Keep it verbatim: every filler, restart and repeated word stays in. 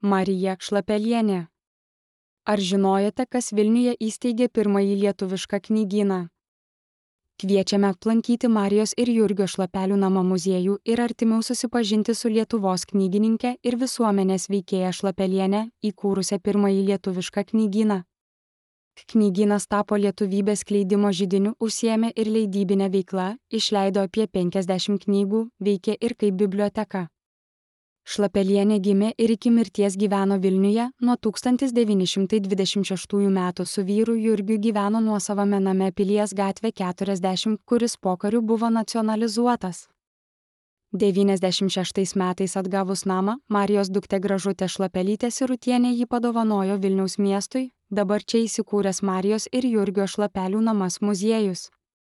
Marija Šlapelienė. Ar žinojote, kas Vilniuje įsteigė pirmąjį lietuvišką knygyną? Kviečiame aplankyti Marijos ir Jurgio Šlapelių namą muziejų ir artimiau susipažinti su Lietuvos knygininke ir visuomenės veikėja Šlapelienė, įkūrusią pirmąjį lietuvišką knygyną. Knygynas tapo lietuvybės skleidimo židiniu, užsiėmė ir leidybinę veiklą, išleido apie penkiasdešimt knygų, veikė ir kaip biblioteka. Šlapelienė gimė ir iki mirties gyveno Vilniuje, nuo tūkstantis devyni šimtai dvidešimt šeštųjų metų su vyru Jurgiu gyveno nuosavame name Pilies gatvė keturiasdešimt, kuris pokariu buvo nacionalizuotas. devyniasdešimt šeštais metais atgavus namą, Marijos duktė Gražutė Šlapelytė Sirutienė jį padovanojo Vilniaus miestui, dabar čia įsikūręs Marijos ir Jurgio Šlapelių namas muziejus.